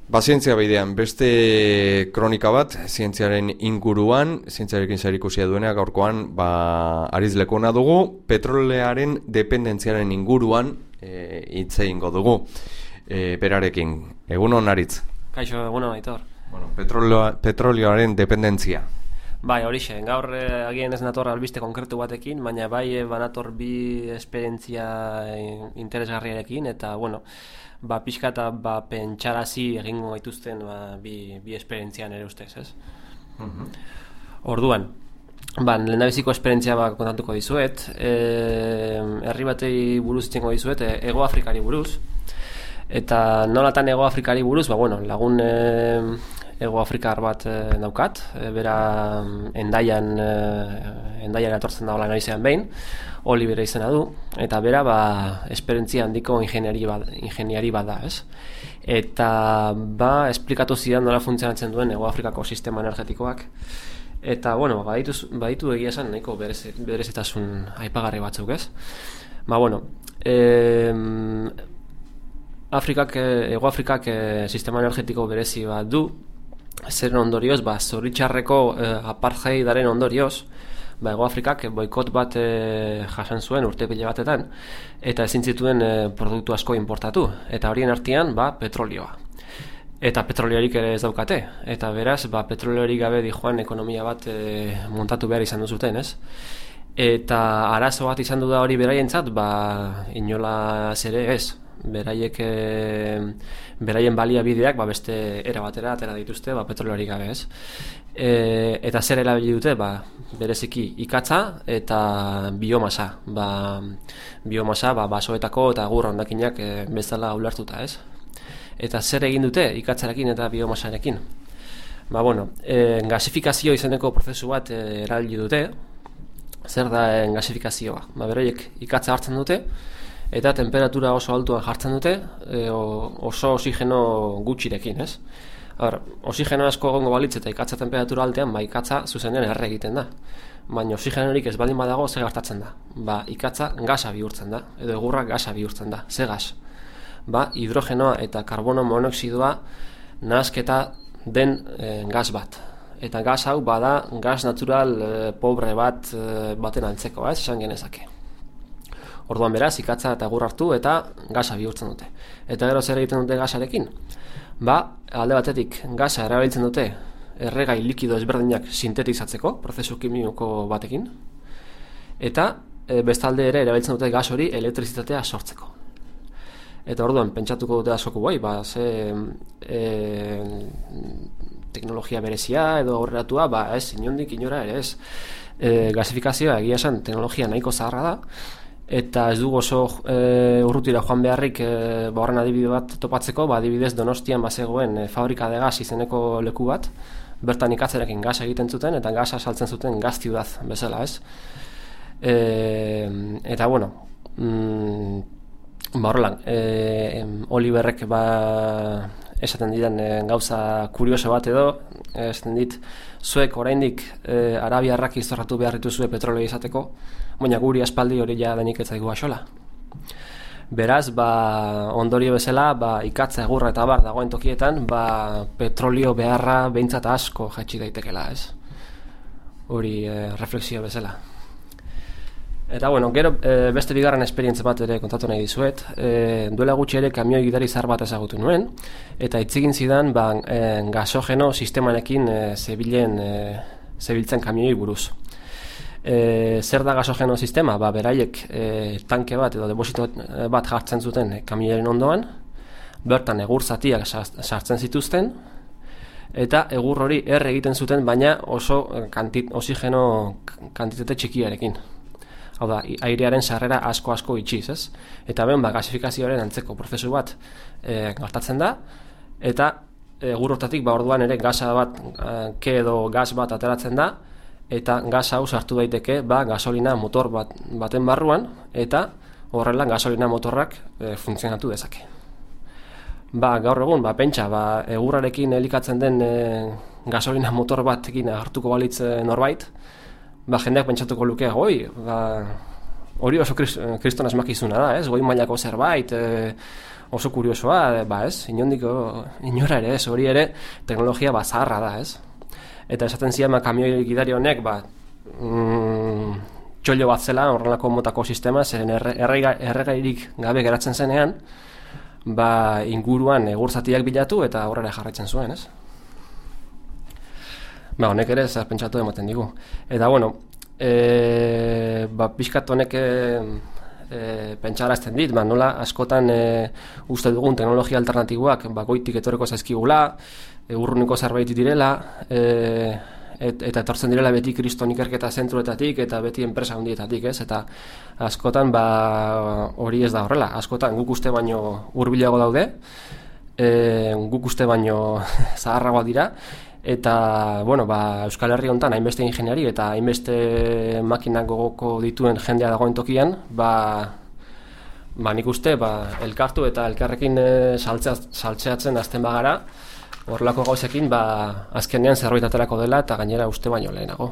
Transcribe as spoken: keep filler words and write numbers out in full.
Ba, zientzia bidean, beste kronika bat, zientziaren inguruan, zientziarekin zerikusia duena, gaurkoan, ba, Aritz Lekona dugu, petrolearen dependentziaren inguruan e, hitz egingo dugu, e, berarekin. Egunon, Aritz? Kaixo, egunon, Aitor. Bueno, petroleo, petrolearen dependentzia. Bai, horixe, gaur eh, agian ez nator albiste konkretu batekin, baina bai eh, banator bi esperientzia interesgarriarekin, eta, bueno, ba, pixka eta ba, pentsarazi egingo gaituzten ba, bi, bi esperientzian ere ustez, ez? Uh-huh. Orduan, ba, lehendabiziko esperientzia ba, kontatuko dizuet, e, herri batei buruz itzengo dizuet, e, Hego Afrikari buruz, eta nolatan Hego Afrikari buruz, ba, bueno, lagun e, Hego Afrikar bat e, daukat, e, bera endaian, e, endaian atortzen da hola naizean behin, Oliver izena du, eta bera ba, esperientzia handiko ingeniari bat, ingeniari bat da, ez? Eta ba, esplikatu zidan nola funtzionatzen duen Hego Afrikako sistema energetikoak, eta, bueno, baditu, baditu egia esan nahiko berezitasun aipagarri batzuk, ez? Ba, bueno, e, Afrikak, Hego Afrikak e, sistema energetiko berezi bat du, zeren ondorioz, ba, zoritxarreko e, apartheidaren ondorioz, ba, Hego Afrikak boikot bat e, jasan zuen urte pile batetan, eta ezin zituen e, produktu asko importatu, eta horien artean ba, petrolioa. Eta petroliorik ere ez daukate, eta beraz, ba, petroliorik gabe dijoan ekonomia bat e, montatu behar izan duzuten, ez? Eta arazo bat izan du da hori beraientzat, ba, inolaz ere ez. Beraiek e, beraien baliabideak ba, beste era batera atera dituzte ba, petroliorik gabe, ez? E, eta zer erabili dute, ba, bereziki ikatza eta biomasa, ba, biomasa ba, basoetako eta gur hondakinak e, bezala ulertuta, ez? Eta zer egin dute ikatzarekin eta biomasarekin? Ba, bueno, e, gasifikazio izeneko prozesu bat e, erabili dute. Zer da e, gasifikazioa? Ba, beraiek ikatza hartzen dute, eta temperatura oso altuan jartzen dute, e, oso oxigeno gutxirekin, ez? Hor, oxigeno asko egongo balitz eta ikatza temperatura altean, ba, ikatza zuzenean erre egiten da. Baina oxigenorik ez baldin badago, ze gertatzen da? Ba, ikatza gasa bihurtzen da, edo egurra gasa bihurtzen da, ze gas? Ba, hidrogenoa eta karbono monoxidoa nahasketa den e, gas bat. Eta gas hau bada gas natural e, pobre bat e, baten antzeko, ez? Esan genezake. Orduan beraz, ikatza eta egur hartu eta gasa bihurtzen dute. Eta gero zer egiten dute gasarekin? Ba, alde batetik gasa erabiltzen dute erregai likido ezberdinak sintetizatzeko, prozesu kimiko batekin, eta e, bestalde ere erabiltzen dute gas hori elektrizitatea sortzeko. Eta orduan, pentsatuko dute askoko bai, ba, ze e, teknologia berezia edo aurreratua, ba, ez, inondik inora ere ez. E, gasifikazioa egia esan teknologia nahiko zaharra da, eta ez dugu oso e, urrutira joan beharrik e, ba, horren adibide bat topatzeko, ba, adibidez Donostian bazegoen e, fabrika de gas izeneko leku bat, bertan ikatzarekin gasa egiten zuten, eta gasa saltzen zuten gaz ciudad bezala, ez? E, eta, bueno, mm, ba, horrelan, e, Oliverrek ba, esaten didan e, gauza kurioso bat edo, esaten dit, zuek oraindik e, arabiarrak izorratu behar dituzue petrolio izateko, baina guri aspaldi hori ja denik ez zaigu axola. Beraz, ba, ondorio bezala, ba, ikatza egurra eta bar dagoen tokietan, ba, petrolio beharra behintzat asko jaitsi daitekela, ez? Hori e, refleksio bezala. Eta, bueno, gero e, beste bigarren esperientzia bat ere kontatu nahi dizuet. E, duela gutxi ere kamioi gidari zahar bat ezagutu nuen, eta itzigin zidan ba, e, gasogeno sistemanekin e, zebilen, e, zebiltzen kamioi buruz. E, zer da gasogeno sistema? Ba, beraiek e, tanke bat edo deposito bat jartzen zuten kamioiaren ondoan, bertan egur zatiak sartzen zituzten, eta egur hori erre egiten zuten, baina oso kantit, oxigeno kantitate txikiarekin. Hau da, airearen sarrera asko-asko itxiz, ez? Eta ben, ba, gasifikazioaren antzeko prozesu bat e, gertatzen da, eta egur hortatik, ba, orduan ere gasa bat, e, ke edo gas bat ateratzen da, eta gas hau sartu daiteke, ba, gasolina motor bat, baten barruan, eta horrela gasolina motorrak e, funtzionatu dezake. Ba, gaur egun, ba, pentsa, ba, egurrarekin elikatzen den e, gasolina motor batekin hartuko balitz e, norbait, ba, jendeak pentsatuko luke, goi, ba, hori oso kriston asmakizuna da, ez? Goi mailako zerbait, e, oso kuriosoa, ba ez, inondiko inora ere ez, hori ere teknologia ba zaharra da, ez? Eta esaten ziren ba, kamioi gidari honek ba, mm, txollo bat zela horrelako motako sistema, zeren errega, erregairik gabe geratzen zenean, ba, inguruan egurzatiak bilatu eta horrela jarraitzen zuen, ez? Ba, honek ere zer pentsatu ematen digu. Eta, bueno, e, ba, pixkat honek e, e, pentsarazten dit, ba, nola askotan e, uste dugun teknologia alternatiboak ba, goitik etorreko zaizkigula, e, urruneko zerbait direla, e, et, eta etortzen direla beti kriston ikerketa zentruetatik eta beti enpresa handietatik, ez? Eta askotan ba, hori ez da horrela, askotan guk uste baino hurbilago daude, e, guk uste baino zaharragoa dira, eta, bueno, ba, Euskal Herri honetan hainbeste ingeniari eta hainbeste makinak gogoko dituen jendea dagoen tokian, ba, ba nik uste, ba, elkartu eta elkarrekin e, saltzeatzen azten bagara, horrelako gauzekin, ba, azkenean zerbait aterako dela eta gainera uste baino lehenago.